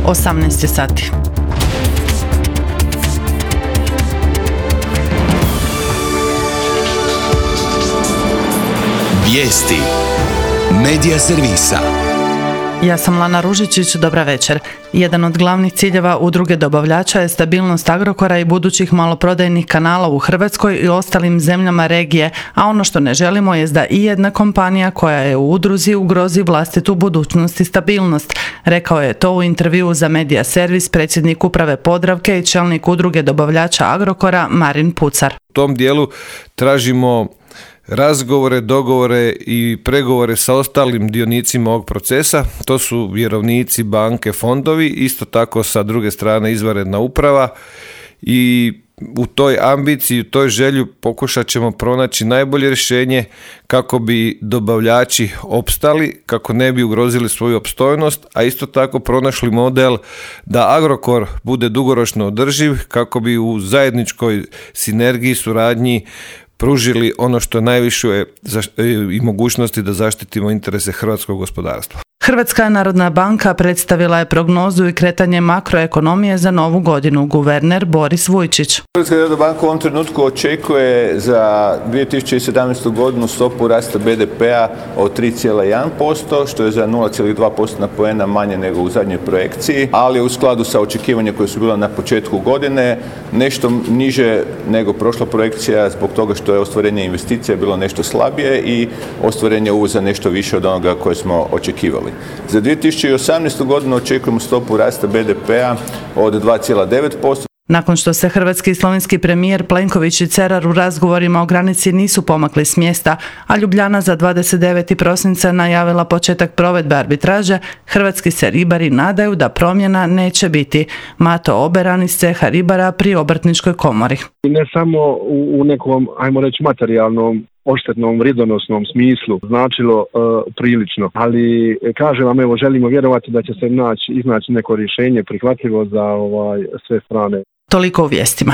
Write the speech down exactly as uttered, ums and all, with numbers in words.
osamnaest je sati. Vijesti Medija servisa. Ja sam Lana Ružičić, dobra večer. Jedan od glavnih ciljeva udruge dobavljača je stabilnost Agrokora i budućih maloprodajnih kanala u Hrvatskoj i ostalim zemljama regije, a ono što ne želimo je da i jedna kompanija koja je u udruzi ugrozi vlastitu budućnost i stabilnost. Rekao je to u intervjuu za Medija servis predsjednik uprave Podravke i čelnik udruge dobavljača Agrokora Marin Pucar. U tom dijelu tražimo razgovore, dogovore i pregovore sa ostalim dionicima ovog procesa. To su vjerovnici, banke, fondovi, isto tako sa druge strane izvanredna uprava i u toj ambiciji, u toj želju pokušat ćemo pronaći najbolje rješenje kako bi dobavljači opstali, kako ne bi ugrozili svoju opstojnost, a isto tako pronašli model da Agrokor bude dugoročno održiv, kako bi u zajedničkoj sinergiji, suradnji pružili ono što najviše je i mogućnosti da zaštitimo interese hrvatskog gospodarstva. Hrvatska narodna banka predstavila je prognozu i kretanje makroekonomije za novu godinu. Guverner Boris Vujčić. Hrvatska narodna banka u ovom trenutku očekuje za dvije tisuće sedamnaestu godinu stopu rasta be de pea od tri zarez jedan posto, što je za nula zarez dva postotna poena manje nego u zadnjoj projekciji, ali u skladu sa očekivanjem koje su bila na početku godine, nešto niže nego prošla projekcija zbog toga što je ostvarenje investicija bilo nešto slabije i ostvarenje uvoza nešto više od onoga koje smo očekivali. Za dvije tisuće osamnaestu godinu očekujemo stopu rasta be de pea od dva zarez devet posto. Nakon što se hrvatski i slovenski premijer Plenković i Cerar u razgovorima o granici nisu pomakli s mjesta, a Ljubljana za dvadeset deveti prosinca najavila početak provedbe arbitraže, hrvatski se ribari nadaju da promjena neće biti. Mato Oberan iz ceha ribara pri Obrtničkoj komori. Ne samo u, u nekom, ajmo reći, materijalnom odštetnom, vrijedonosnom smislu značilo uh, prilično, ali kažem vam, evo, želimo vjerovati da će se naći, iznaći neko rješenje prihvatljivo za ovaj, sve strane. Toliko u vijestima.